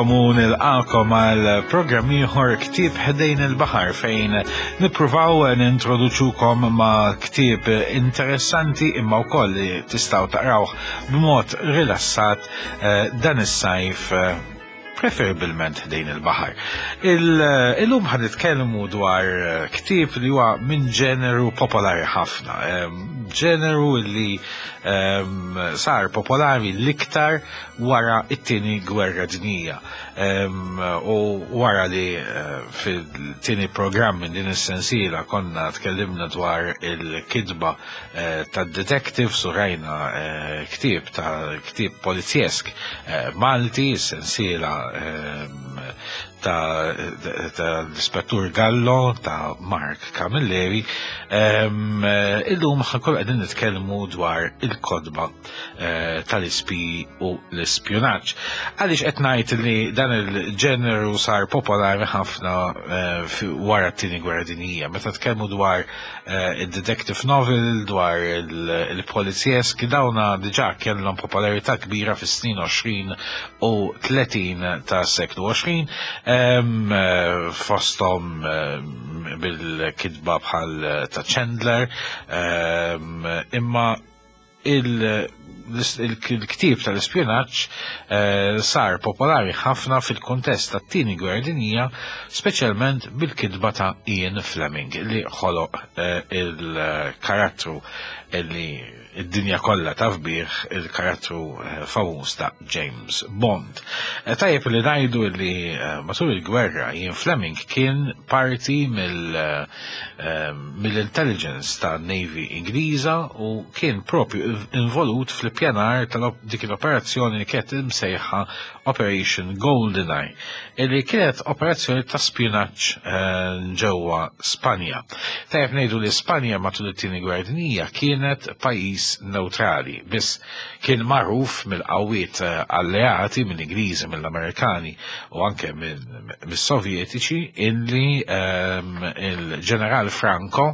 Insellmilkom u nilqakom għal programm ieħor Ktieb Ħdejn il-Baħar fejn nippruvaw nintroduċukom ma' ktieb interessanti imma wkoll li tistgħu taqrawh b'mod rilassat eh, dan is-sajf eh, preferibilment ħdejn il-baħar. Illum ħan nitkellmu dwar eh, ktieb li huwa minn ġeneru popolari ħafna, ġeneru li sar popolari l-iktar wara it-tieni gwerra dinjija. U wara li eh, fil-tieni programm minn din is-sensiela konna tkellimna dwar il-kitba eh, tad-detective su rajna eh, ktieb ta' ktieb polizjesk Malti, sensiela ta' l-Ispettur Gallo ta' Mark Camilleri. Illum ħankun qegħdin nitkellmu dwar il-kodba eh, tal-ispi u l-ispjunaġġ. Għaliex qed ngħid li dan il-ġeneru sar popolari ħafna eh, wara t-tieni gwerra dinjija. Meta tkellmu dwar eh, il-detective novel, dwar il-polizjesk, dawna diġà kellhom popolarità kbira fis-snin 20 u 30 ta' seklu 20, fosthom bil-kitba bħal ta' Chandler, imma il-ktieb tal-ispjunaġġ eh, sar popolari ħafna fil-kuntest tat-tieni gwerra dinjija, speċjalment bil-kitba ta' Ian Fleming li ħoloq eh, il-karattru li id-dinja kollha taf bih il-karattru eh, famuż ta' James Bond. Eh, tajjeb li ngħidu li eh, matul il-gwerra Ian Fleming kien parti mill-intelligence ta' Navy Ingliża u kien propju involut fl-ippjanar ta' dik l-operazzjoni li kienet imsejħa Operation Goldeneye, illi kienet operazzjoni ta' spjunaġġ ġewwa Spanja. Tajjeb ngħidu li Spanja matul it-tieni gwerra dinjija kienet pajjiż neutrali, biss kien magħruf mill-qawwiet eh, alleati, mill-Ingliżi, mill-Amerikani u anke mis-Sovjetiċi illi ehm, il-ġeneral Franco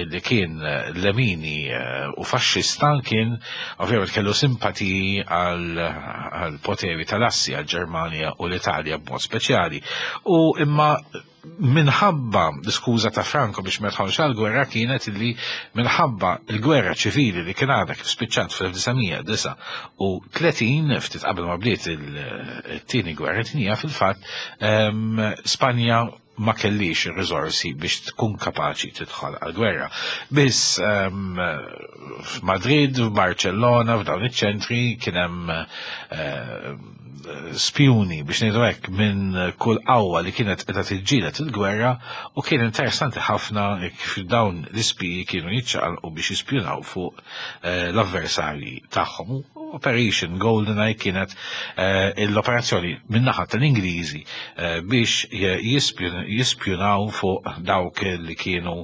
illi kien eh, lemini eh, u faxxista kien ovvjament kellu simpatiji għal poteri tal-assi għal-Ġermanja u l-Italja b'mod speċjali. U imma minħabba l-iskuża ta' Franco biex ma jidħolx għall-gwerra kienet li minħabba l-gwerra ċivili li kien għadha kif spiċċat fl-1939 ftit qabel ma bdiet il-tieni gwerra dinjija fil-fatt ehm, Spanja ma kellix ir-riżorsi biex tkun kapaċi tidħol għal-gwerra. Biss ehm, f'Madrid, f'Barcellona, f'dawn iċ-ċentri kien hemm eh, spjuni biex ngħidu hekk minn kull qawwa li kienet qiegħda tiġġieled il-gwerra u kien interessanti ħafna kif dawn l-ispiji kienu jiċċaqalqu biex jispjunaw fuq eh, l-avversarji tagħhom. Operation GoldenEye kienet eh, l-operazzjoni min-naħa tal-Ingliżi eh, biex jispjunaw fuq dawk li kienu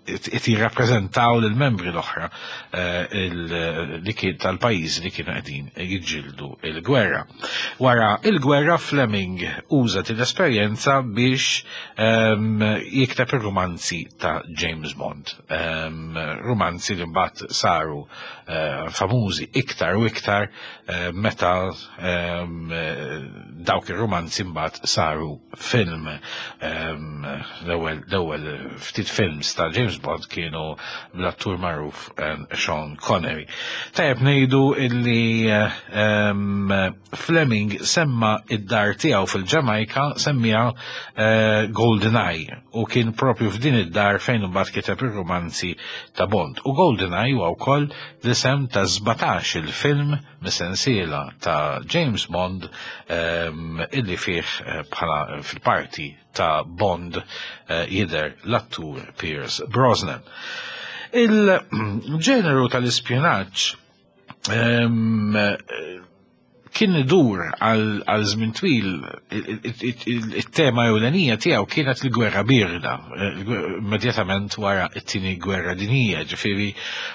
qed jirrappreżentaw lill-membri l-oħra eh, li kien tal-pajjiżi li kienu qegħdin jiġġieldu l-gwerra. Wara il-gwerra Fleming uża din l-esperjenza biex ehm, jikteb ir-rumanzi ta' James Bond. Ehm, rumanzi li mbagħad saru eh, famużi iktar u iktar eh, meta ehm, dawk ir-rumanzi mbagħad saru film. Ehm, l-ewwel ftit films ta' James Bond kienu bl-attur magħruf ehm, Sean Connery. Tajjeb ngħidu illi ehm, Fleming semma id-dar tiegħu fil-Ġamajka semmija eh, GoldenEye u kien propju f'din id-dar fejn imbagħad kiteb ir-rumanzi ta' Bond. U GoldenEye huwa wkoll l-isem ta' 17 il-film mis-sensiela ta' James Bond ehm, illi fih eh, bħala fil-parti ta' Bond eh, jidher l-attur Pierce Brosnan. Il-ġeneru tal-ispjunaġġ ehm, kien idur għal żmien twil it-tema ewlenija tiegħu kienet il-gwerra birda, eh, immedjatament wara t-tieni gwerra dinjija, ġifieri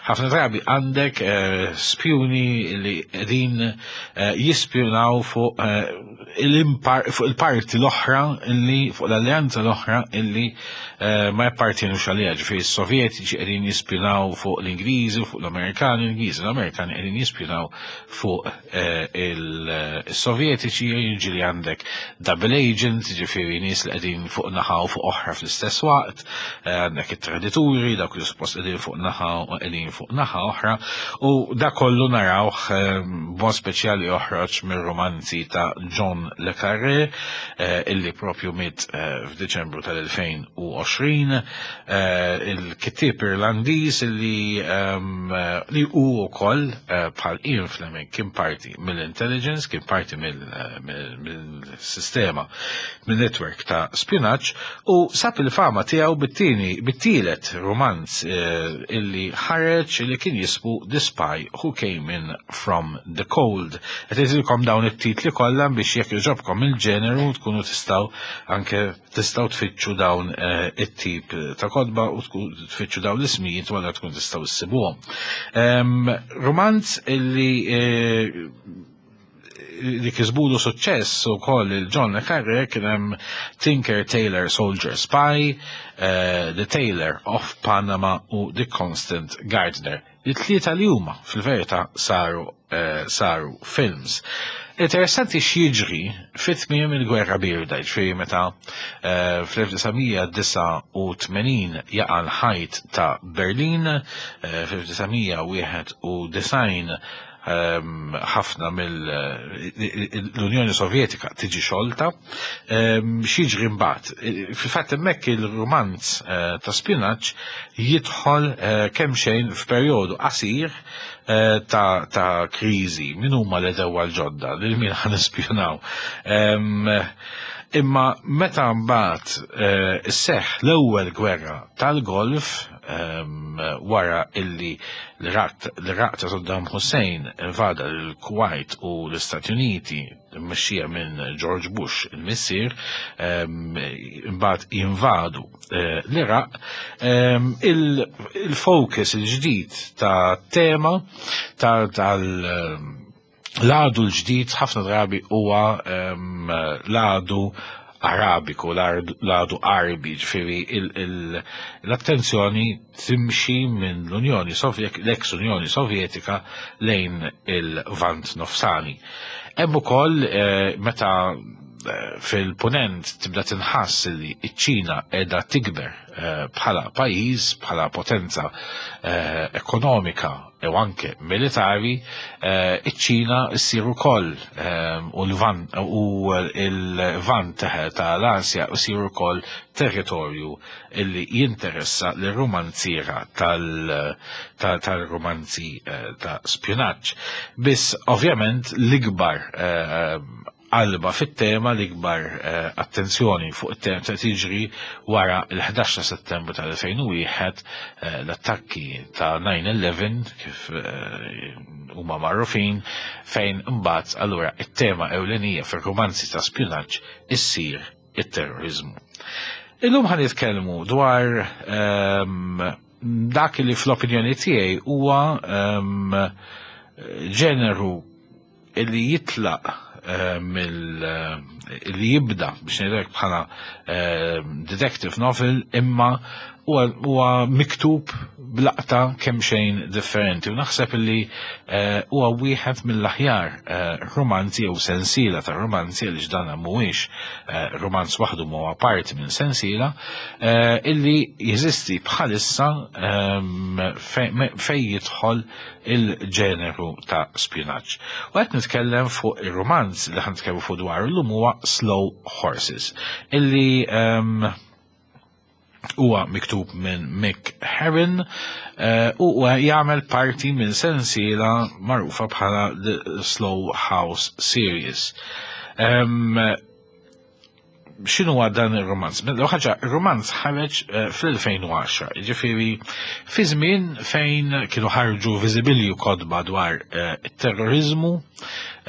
ħafna drabi għandek eh, spjuni li qegħdin eh, jispjunaw fuq fuq il-parti l-oħra illi fuq l-alleanza l-oħra illi ma jappartienux għaliha, ġifieri s-Sovjetiċi qegħdin jispjunaw fuq l-Ingliżi, fuq l-Amerikani, l-Ingliżi l-Amerikani qegħdin jispjunaw fuq eh, il-Sovjetiċi, ġieli għandek double agents, ġifieri nies li qegħdin fuq naħa u fuq oħra fl-istess waqt, għandek it-tradituri, dawk li suppost qegħdin fuq naħa u qegħdin fuq naħa oħra, u da kollu narawh b'mod speċjali joħroġ mir-romanzi ta' John le Carré, illi propju miet f'Diċembru tal-2020, il-kittieb Irlandiż illi li hu wkoll bħal Ian Fleming kien parti mill-intelligence, kien parti mill-sistema, minn-network ta' spjunaġġ, u sab il-fama tiegħu bit-tieni bit-tielet romanz illi ħareġ illi kien jismu The Spy Who Came In From The Cold. Qed ngħidilkom dawn it-titli kollha biex jekk jogħġobkom il-ġeneru tkunu tistgħu anke tistgħu tfittxu dawn it-tip ta' kotba u tfittxu dawn l-ismijiet u allura tkun tistgħu issibuhom. Romanz illi li kisbulu suċċess ukoll il-John le Carré kien hemm Tinker Tailor Soldier Spy, The Tailor of Panama u The Constant Gardener. It-tlieta li huma fil-verità saru saru films. Interessanti x'jiġri fit-tmiem il-Gwerra Bierda, ġifieri meta fl-1989 jaqa' l-ħajt ta' Berlin, fl-1991 ħafna mill-Unjoni Sovjetika tiġi xolta. X'jiġri mbagħad? Fil-fatt hemmhekk il-rumanz ta' spjunaġġ jidħol kemm xejn f'perjodu qasir ta' kriżi. Min huma l-għedewwa l-ġodda? Lil min ħa nispjunaw? Imma meta mbagħad isseħħ l-ewwel gwerra tal-Golf wara illi l-Iraq ta' Saddam Hussein invada l-Kuwait u l-Istati Uniti mmexxija minn George Bush il-missier, imbagħad jinvadu l-Iraq, il-focus il-ġdid ta' tema tal l-għadu l-ġdid ħafna drabi huwa l-għadu Arabiku, l-għadu Arbi, ġifieri l-attenzjoni timxi minn l-Unjoni Sovjetika, l-ex Unjoni Sovjetika lejn il-Lvant Nofsani. Hemm ukoll meta fil-punent tibda tinħass li ċ-Ċina qiegħda tikber bħala pajjiż, bħala potenza ekonomika u anke militari, iċ-Ċina ssir ukoll u l-Lvant u l-Lvant tal-Asja jsir ukoll territorju illi jinteressa lir-rumanziera tal-rumanzi ta' spjunaġġ. Biss ovvjament l-ikbar qalba fit-tema, l-ikbar attenzjoni fuq it-tema ta' tiġri wara l-11 ta' Settembru tal-2001, l-attakki ta' 9/11 kif huma magħrufin, fejn imbagħad allura it-tema ewlenija fir-romanzi ta' spjunaġġ issir it-terrorizmu. Illum ħa nitkellmu dwar dak li fl-opinjoni tiegħi huwa ġeneru illi jitlaq mill li jibda biex ngħidlek bħala detective novel, imma huwa miktub b'laqta kemm xejn differenti u naħseb li huwa wieħed mill-aħjar romanzi jew sensiela ta' romanzi, għaliex dan mhuwiex romanz waħdu, huwa parti minn sensiela illi jeżisti bħalissa fej jidħol il-ġeneru ta' spjunaġġ. U qed nitkellem fuq ir-romanz li ħan nitkellmu fuq dwar illum huwa Slow Horses, illi huwa miktub minn Mick Herron u jagħmel parti minn sensiela magħrufa bħala The Slough House Series. X'inhu dan ir-romanz? Ħaġa, ir-romanz ħareġ fl-2010, ġifieri fi żmien fejn kienu ħarġu viżibilju kotba dwar it-terrorizmu,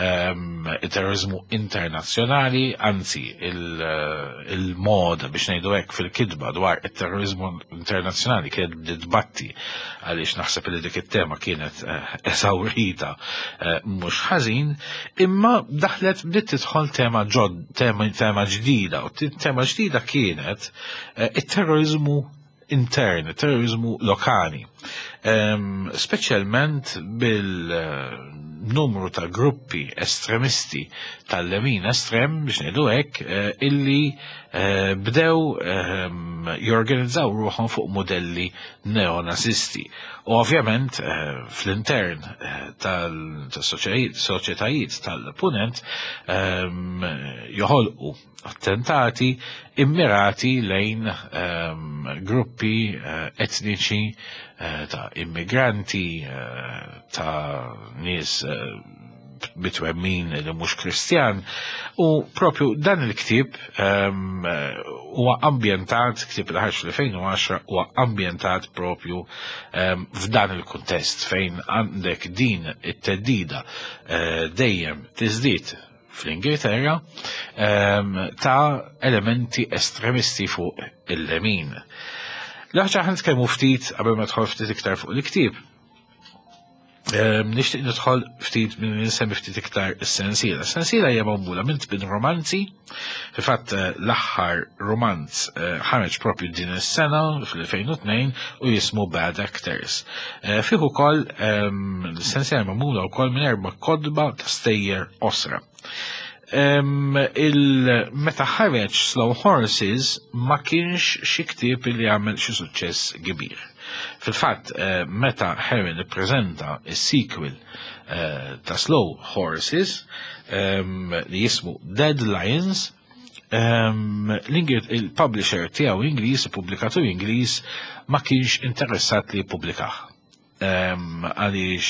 il-terrorizmu internazzjonali, anzi il-mod biex ngħidu hekk fil-kitba dwar it-terrorizmu internazzjonali kienet bdiet għaliex naħseb li dik it-tema kienet eżawrita mhux ħażin, imma daħlet bdiet tidħol tema ġod, tema ġdida, u tema ġdida kienet it-terrorizmu intern, terrorizmu lokali. Speċjalment bil numru ta' gruppi estremisti tal-lemin estrem biex ngħidu hekk illi bdew jorganizzaw ruħhom fuq modelli neonazisti. U ovvjament fl-intern tal-soċjetajiet tal-punent joħolqu attentati immirati lejn gruppi etniċi ta' immigranti, ta' nies bitwemmin li mhux Kristjan u propju dan il-ktieb huwa ambjentat, ktieb li ħareġ fl-2010 huwa ambjentat propju f'dan il-kuntest fejn għandek din it-teddida dejjem tiżdied fl-Ingilterra ta' elementi estremisti fuq il-lemin. L-ħaġa ħan nitkellmu ftit qabel ma tħol ftit iktar fuq il-ktieb. Nixtieq nidħol ftit minn nsemmi ftit iktar is-sensiela. Is-sensiela hija magħmula minn tbin romanzi. Fil-fatt l-aħħar romanz ħareġ propju din is-sena fl-2002 u jismu Bad Actors. Fih ukoll l-sensiela magħmula wkoll minn erba' kotba ta' stejjer qosra. Meta ħareġ Slow Horses ma kienx xi ktieb li għamel xi suċċess kbir. Fil-fatt, meta Herron ippreżenta is-sequel ta' Slow Horses li jismu Dead Lions, il-publisher tiegħu Ingliż, il-pubblikatur Ingliż, ma kienx interessat li jippubblikah. Għaliex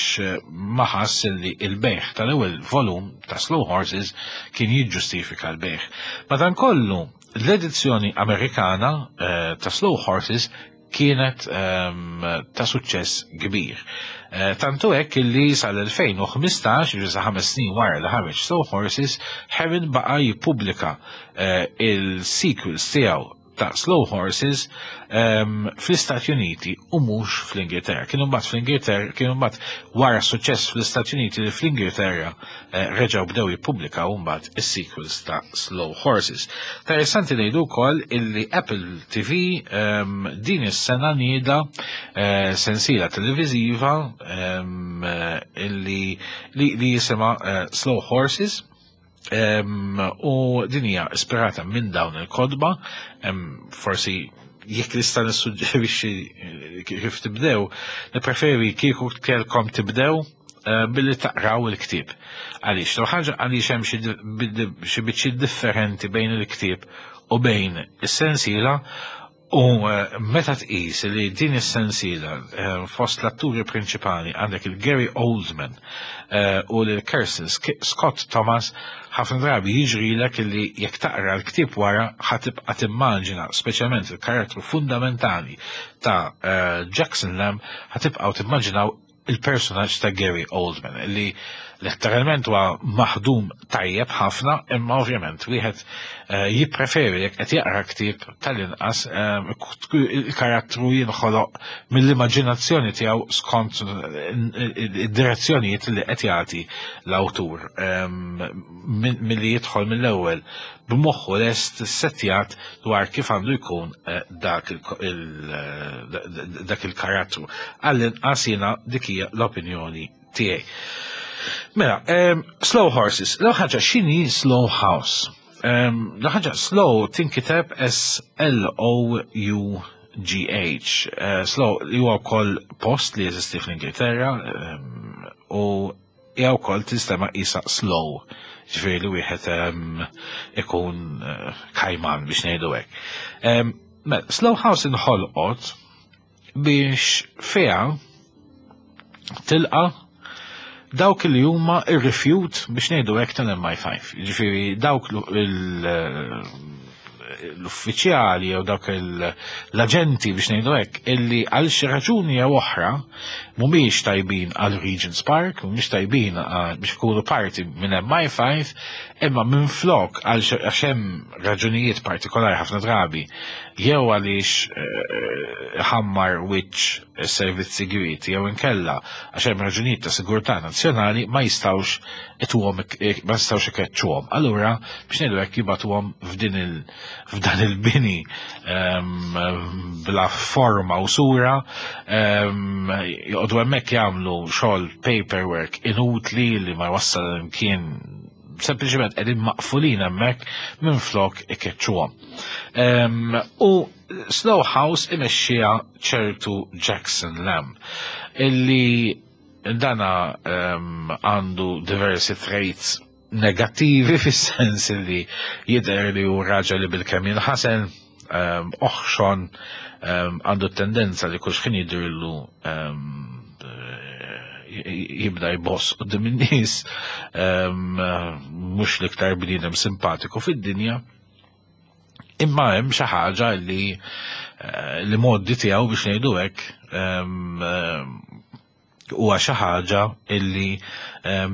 ma ħass li il-bejħ tal-ewwel volum ta' Slow Horses kien jiġġustifika l-bejħ. Madankollu, l-edizzjoni Amerikana ta' Slow Horses kienet ta' suċċess kbir. Tantu hekk li sal-2015, ġifieri sa 5 snin wara li ħareġ Slow Horses, Herron baqa' jippubblika il-sequels tiegħu ta' Slow Horses fl-Istati Uniti u mhux fl-Ingilterra. Kienu mbagħad fl-Ingilterra, kienu mbagħad wara suċċess fl-Istati Uniti li fl-Ingilterra reġgħu bdew jippubblikaw mbagħad is-sequels ta' Slow Horses. Interessanti ngħidu wkoll illi Apple TV din is-sena nieda sensiela televiżiva illi li jisimha Slow Horses. U din hija ispirata minn dawn il-kodba, forsi jekk nista' nissuġġerixxi kif tibdew, nippreferi kieku kellkom tibdew billi taqraw il-ktieb. Għaliex, l ħaġa għaliex hemm xi biċċiet differenti bejn il-ktieb u bejn is-sensiela. U meta tqis li din is-sensiela fost l-atturi prinċipali għandek il-Gary Oldman u l-Kirsten Scott Thomas, ħafna drabi jiġrilek li jekk taqra l-ktieb wara ħa tibqa' timmaġina speċjalment il-karattru fundamentali ta' Jackson Lamb, ħa tibqgħu timmaġinaw il-personaġġ ta' Gary Oldman li letteralment huwa maħdum tajjeb ħafna, imma ovvjament wieħed jippreferi jekk qed jaqra ktieb tal-inqas il-karattru jinħoloq mill-immaġinazzjoni tiegħu skont id-direzzjonijiet li qed jagħti l-awtur, milli jidħol mill-ewwel b'moħħu lest settjat dwar kif għandu jkun dak il-karattru. Għall-inqas jiena dik hija l-opinjoni tiegħi. Mela, Slow Horses, l ħaġa x'inhi Slow House? L ħaġa Slow tinkiteb S-L-O-U-G-H. Slow li huwa wkoll post li jeżisti fl-Ingilterra u hija wkoll tinstema' qisha slow, ġifieri li wieħed ikun kajman biex ngħidu hekk. Mela, Slow House inħolqot biex fiha tilqa dawk li huma ir-rifjut biex ngħidu hekk tal-MI5. Ġifieri dawk l-uffiċjali jew dawk l-aġenti biex ngħidu hekk illi għal xi raġuni jew oħra mhumiex tajbin għal Regent's Park, mhumiex tajbin biex ikunu parti minn MI5, imma minn flok għal għax hemm raġunijiet partikolari ħafna drabi jew għaliex ħammar wiċċ is-servizz sigriet jew inkella għax hemm raġunijiet ta' sigurtà nazzjonali ma jistgħux ituhom, ma jistgħux ikeċċuhom. Allura biex ngħidu hekk jibgħatuhom f'din f'dan il-bini bla forma u sura, joqogħdu hemmhekk jagħmlu xogħol paperwork inutli li ma jwassal imkien, sempliċement qegħdin maqfulin hemmhekk minflok ikeċċuhom. U Slough House imexxija ċertu Jackson Lamb illi dana għandu diversi traits negattivi fis-sens li jidher li hu raġel li bil-kemm jinħasel, oħxon, għandu tendenza li kull xħin jidhirlu jibda jboss quddiem in-nies, mhux l-iktar bniedem simpatiku fid-dinja. Imma hemm xi ħaġa li eh, li moddi tiegħu biex ngħidu hekk huwa xi ħaġa illi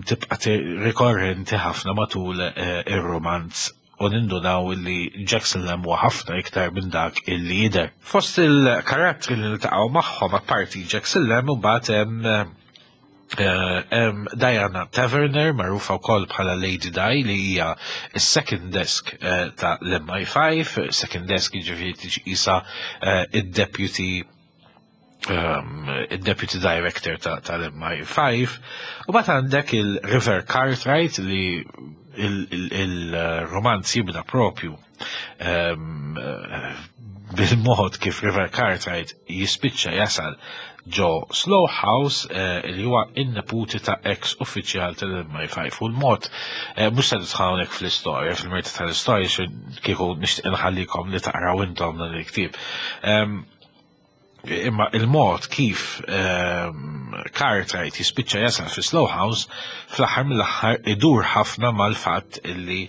tibqa' rikorrenti ħafna matul eh, ir-romanz u nindunaw illi Jackson Lamb huwa ħafna iktar minn dak illi jidher. Fost il-karattri li niltaqgħu magħhom apparti Jackson Lamb imbagħad hemm eh, hemm Diana Taverner, magħrufa wkoll bħala Lady Di, li hija s-second desk eh, ta' l-MI5, second desk jiġifieri tiġi qisha id-deputy il-Deputy Director tal-MI5, u bat għandek il-River Cartwright li il-romanz jibda propju bil-mod kif River Cartwright jispiċċa jasal ġo Slough House eh, li huwa in-neputi ta' ex uffiċjal tal-MI5 u l-mod eh, mhux se nidħol hawnhekk fl-istorja, fil-merti tal-istorja kieku nixtieq inħallikom li taqraw intom dan il-ktieb. Imma il-mod kif Cartwright jispiċċa jasal fi Slough House fl-aħħar mill-aħħar idur ħafna mal-fatt illi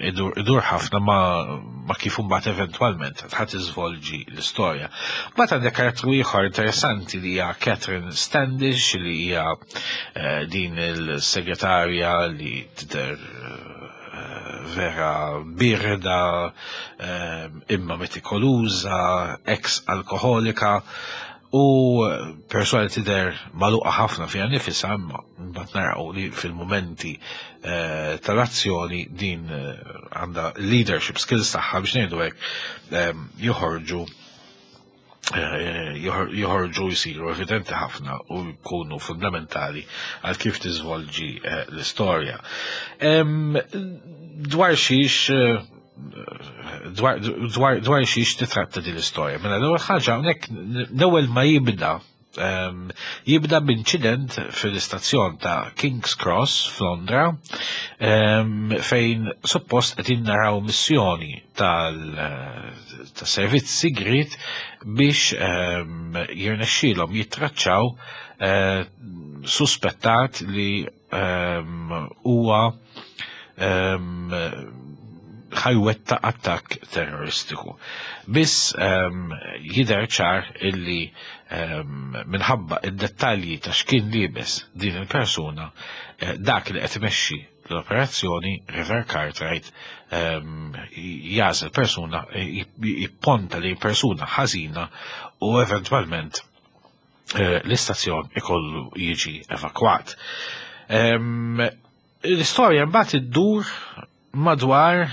idur ħafna ma kif imbagħad eventwalment ħadd iżvolġi l-istorja. Mbagħad għandek karattru ieħor interessanti li hija Catherine Standish li hija eh, din il-segretarja li tidher vera birda, imma metikoluża, ex alkoholika u persona li tidher magħluqa ħafna fiha nifisha, imma mbagħad naraw li fil-mumenti eh, tal-azzjoni din eh, għandha leadership skills tagħha biex ngħidu hekk eh, joħorġu joħorġu jsiru evidenti ħafna u jkunu fundamentali għal kif tiżvolġi eh, l-istorja. Dwar xiex eh, dwar xiex titratta din l-istorja. Mela l-ewwel ħaġa hawnhekk l-ewwel ma jibda jibda b'inċident fil-istazzjon ta' King's Cross f'Londra fejn suppost qed naraw missjoni tal-servizz sigriet biex jirnexxielhom jittraċċaw eh, suspettat li huwa ħajwetta attakk terroristiku. Biss jidher ċar illi minħabba id-dettalji ta' x'kien liebes din il-persuna eh, dak li qed imexxi l-operazzjoni River Cartwright jażel persuna jipponta li persuna ħażina u eventwalment eh, l-istazzjon ikollu jiġi evakwat. L-istorja mbagħad iddur madwar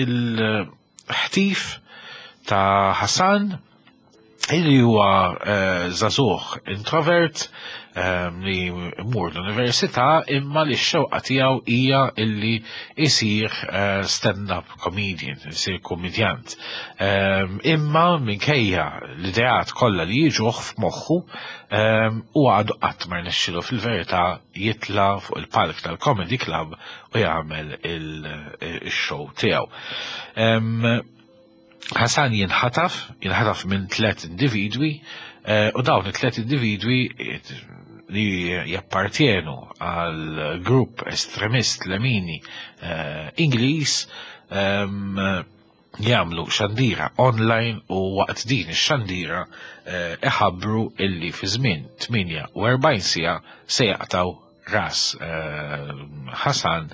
il-ħtif ta' Hassan illi huwa eh, żagħżugħ introvert ehm, li mur l-università imma li x-xewqa tiegħu hija illi isir eh, stand-up comedian, isir komedjant. Ehm, imma minkejja l-ideat kollha li jiġuh f'moħħu ehm, u għadu qatt ma rnexxilu fil-verità jitla fuq il-palk tal-Comedy Club u jagħmel il-show tiegħu. Hasan jinħataf, jinħataf minn tlet individwi, eh, u dawn it-tlet individwi eh, li jappartjenu għal grupp estremist lemini eh, Ingliż ehm, jagħmlu xandira online u waqt din ix-xandira iħabbru illi fi żmien 48 siegħa se jaqtaw ras Hasan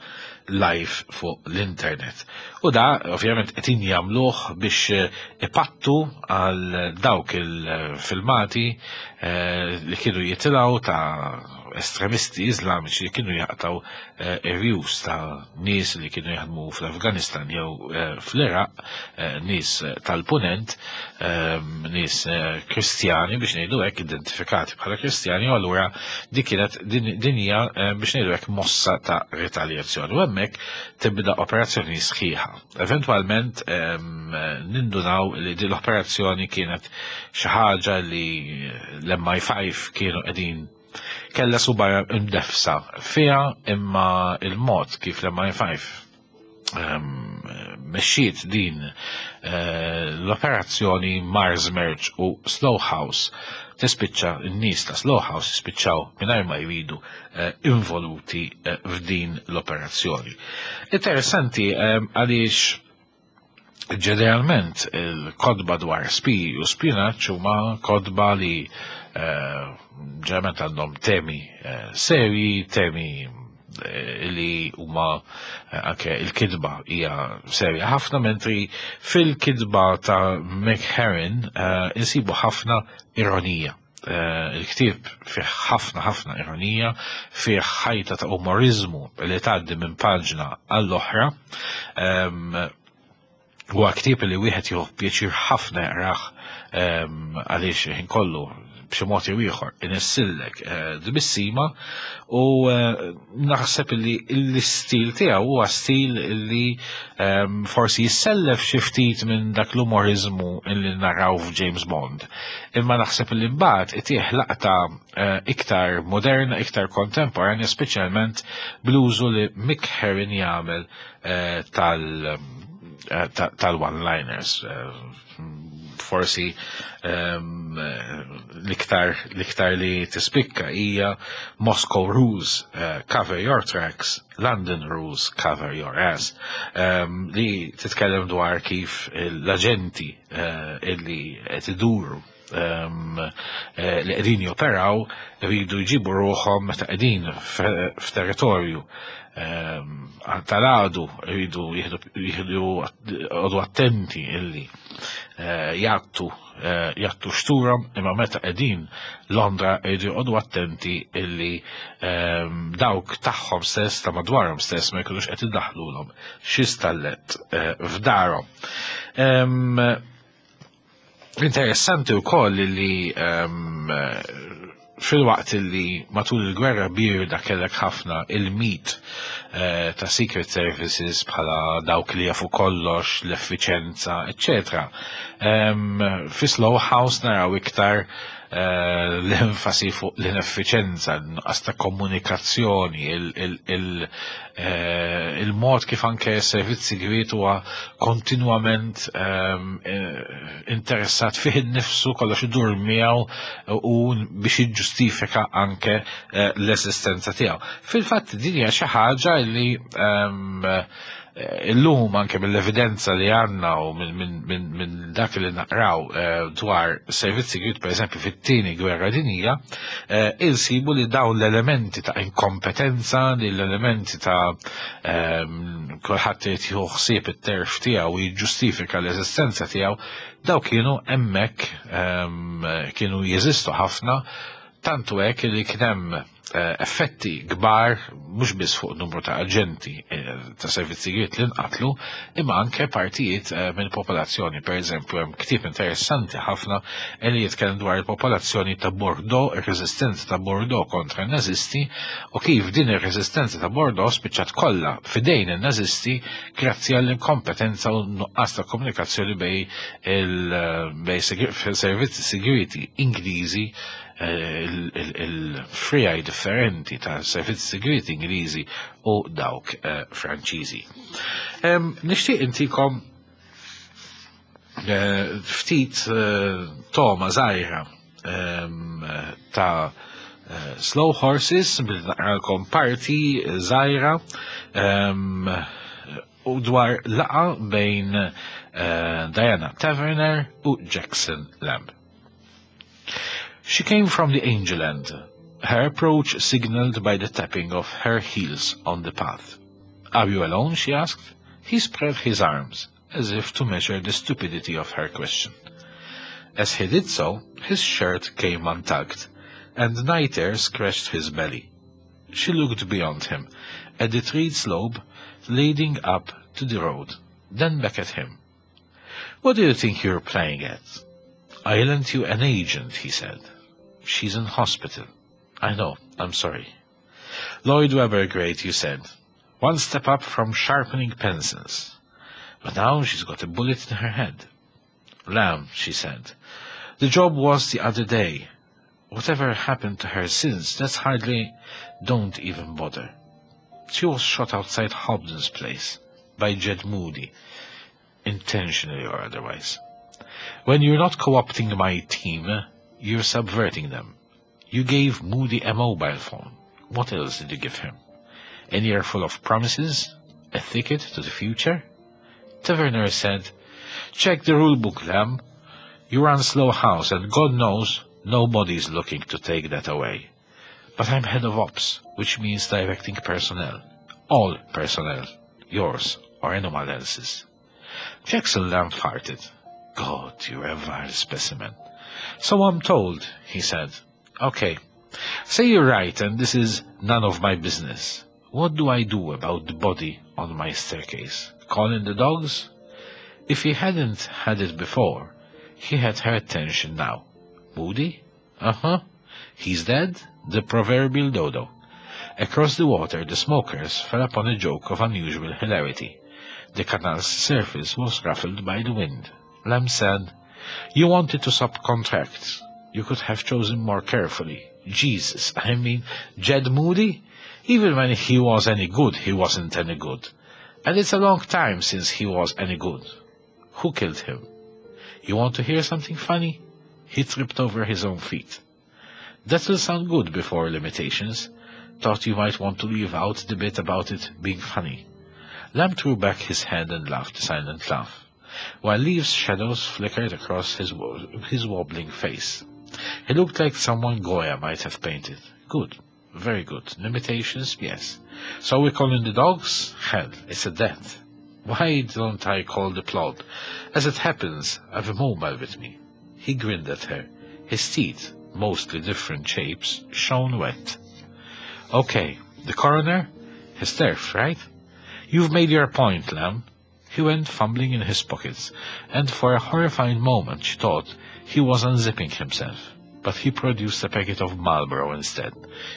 live fuq l-internet. U da, ovvjament, qed jagħmluh biex eh, ipattu għal dawk il-filmati eh, li kienu jitilgħu ta' estremisti Iżlamiċi li kienu jaqtaw eh, irjus ta' nies li kienu jaħdmu fl-Afganistan jew eh, fl-Iraq, eh, nies tal-Punent, nies Kristjani biex ngħidu hekk identifikati bħala Kristjani u allura dik kienet din hija biex ngħidu hekk mossa ta' retaljazzjoni. U hemmhekk tibda operazzjoni sħiħa. Eventwalment nindunaw li din l-operazzjoni kienet xi ħaġa li l-MI5 kienu qegħdin kella suba imdefsa fiha imma il-mod kif l-MI5 mexxiet din eh, l-operazzjoni Mars Merge u Slow House tispiċċa n-nies ta' Slow House jispiċċaw mingħajr ma jridu eh, involuti eh, f'din l-operazzjoni. Interessanti għaliex ġeneralment il-kodba dwar spi u spinaċ huma kodba li ġeneralment għandhom temi serji, temi li huma anke il-kidba hija serja ħafna mentri fil-kidba ta' McHerrin insibu ħafna ironija. Il-ktieb fih ħafna ħafna ironija, fih ħajta ta' umorizmu li tgħaddi minn paġna għall-oħra. Huwa ktieb li wieħed jieħu pjaċir ħafna jaqrah għaliex ħin kollu b'xi mod jew ieħor inissillek eh, dbissima u eh, naħseb li l-istil tiegħu huwa stil li ehm, forsi jissellef xi ftit minn dak l-umorizmu li naraw f'James Bond. Imma naħseb li mbagħad itih laqta eh, iktar moderna, iktar kontemporanja, speċjalment bl-użu li Mick Herrin jagħmel tal tal-one-liners. Forsi ehm, l-iktar l-iktar li tispikka hija Moscow Rules eh, cover your tracks, London Rules cover your ass, ehm, li titkellem dwar kif l-aġenti eh, illi qed iduru ehm, eh, li qegħdin joperaw rridu jġibu ruħhom meta qegħdin f'territorju ehm, tal-għadu rridu jieħdu għodu attenti illi eh, jgħattu eh, jgħattu xturhom imma meta qegħdin Londra rridu jqogħdu attenti illi ehm, dawk tagħhom stess ta' madwarhom stess ma jkunux qed iddaħħlulhom xi stallet f'darhom. Interessanti wkoll li ehm, fil-waqt li matul il-gwerra birda kellek ħafna il-mit eh, ta' Secret Services bħala dawk li jafu kollox, l-effiċenza, etc. Ehm, fi Slow House naraw iktar eh, l-enfasi fuq l-ineffiċenza, nuqqas ta' komunikazzjoni, Eh, il-mod kif anke s-servizz sigriet huwa kontinwament ehm, eh, interessat fih innifsu kollox idur miegħu u biex jiġġustifika anke eh, l-eżistenza tiegħu. Fil-fatt din hija xi ħaġa li ehm, illum anke mill-evidenza li għandna u minn dak li naqraw dwar servizz sigriet pereżempju fit-tieni gwerra dinjija, eh, insibu li dawn l-elementi ta' inkompetenza, li l-elementi ta' ehm, kulħadd irid jieħu ħsieb it-terf tiegħu u jiġġustifika l-eżistenza tiegħu, daw kienu hemmhekk ehm, kienu jeżistu ħafna tantu hekk li kien hemm Eh, effetti kbar mhux biss fuq numru ta' aġenti eh, ta' servizzi li nqatlu, imma anke partijiet eh, mill-popolazzjoni. Per eżempju, hemm ktieb interessanti ħafna li jitkellem dwar il-popolazzjoni ta' Bordeaux, ir-reżistenza ta' Bordeaux kontra n-Nazisti u kif din ir-reżistenza ta' Bordeaux spiċċat kollha fidejn in-Nazisti grazzi għall-inkompetenza u nuqqas ta' komunikazzjoni bej il-servizzi siguriti Ingliżi eh, il-frijaj differenti ta' servizzi segreti Ingliżi u dawk eh, Franċiżi. Nixtieq intikom eh, ftit toma żgħira ta' Slow Horses billi naqralkom parti żgħira u dwar laqa bejn Diana Taverner u Jackson Lamb. She came from the angel end, her approach signaled by the tapping of her heels on the path. Are you alone? she asked. He spread his arms, as if to measure the stupidity of her question. As he did so, his shirt came untucked, and night air scratched his belly. She looked beyond him, at the treed slope leading up to the road, then back at him. What do you think you're playing at? I lent you an agent, he said. She's in hospital. I know, I'm sorry. Lloyd Webber great, you said. One step up from sharpening pencils. But now she's got a bullet in her head. Lamb, she said. The job was the other day. Whatever happened to her since, that's hardly... Don't even bother. She was shot outside Hobden's place by Jed Moody, intentionally or otherwise. When you're not co-opting my team, you're subverting them. You gave Moody a mobile phone. What else did you give him? An earful of promises? A ticket to the future? Taverner said, Check the rule book, Lamb. You run Slough House, and God knows nobody's looking to take that away. But I'm head of ops, which means directing personnel. All personnel. Yours or anyone else's. Jackson Lamb farted. God, you're a vile specimen. So I'm told, he said. Okay. Say you're right, and this is none of my business. What do I do about the body on my staircase? Call in the dogs? If he hadn't had it before, he had her attention now. Moody? Uh-huh. He's dead? The proverbial dodo. Across the water, the smokers fell upon a joke of unusual hilarity. The canal's surface was ruffled by the wind. Lamb said, You wanted to subcontract. You could have chosen more carefully. Jesus, I mean, Jed Moody? Even when he was any good, he wasn't any good. And it's a long time since he was any good. Who killed him? You want to hear something funny? He tripped over his own feet. That'll sound good before limitations. Thought you might want to leave out the bit about it being funny. Lamb threw back his head and laughed a silent laugh, while leaves' shadows flickered across his, his wobbling face. He looked like someone Goya might have painted. Good. Very good. Limitations, yes. So we call in the dogs? Hell, it's a death. Why don't I call the plod? As it happens, I've a mobile with me. He grinned at her. His teeth, mostly different shapes, shone wet. Okay, the coroner? His turf, right? You've made your point, Lamb. He went fumbling in his pockets, and for a horrifying moment she thought he was unzipping himself. But he produced a packet of Marlboro instead.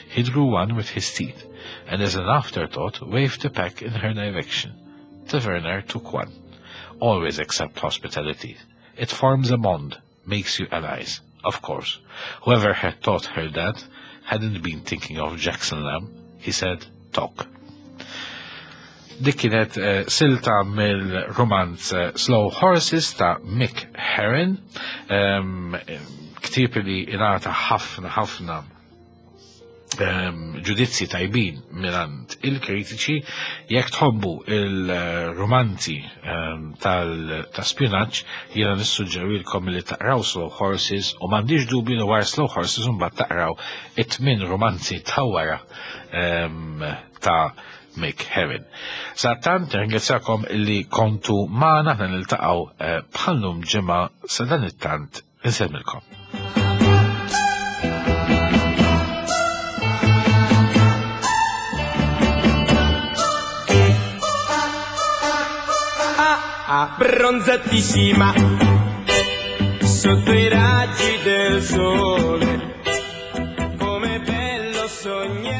He drew one with his teeth, and as an afterthought waved the pack in her direction. Taverner took one. Always accept hospitality. It forms a bond, makes you allies. Of course, whoever had taught her that hadn't been thinking of Jackson Lamb. He said, talk. Dik kienet eh, silta mill-romanz eh, Slow Horses ta' Mick Herron, ehm, ktieb li ingħata ħafna ħafna ehm, ġudizzji tajbin minant il-kritiċi jekk tħobbu il-romanzi ehm, ta' spinaċ jiena nissuġġerilkom li taqraw Slow Horses u m'għandix dubju li wara Slow Horses mbagħad taqraw it-tmien romanzi ta' wara ehm, ta' Mick Herron. Sa tant ringrazzjakom li kontu magħna aħna niltaqgħu eh, bħallum ġimgħa sa dan it-tant insemmilkom. Abbronzatissima sotto i raggi del sole, come bello sognare.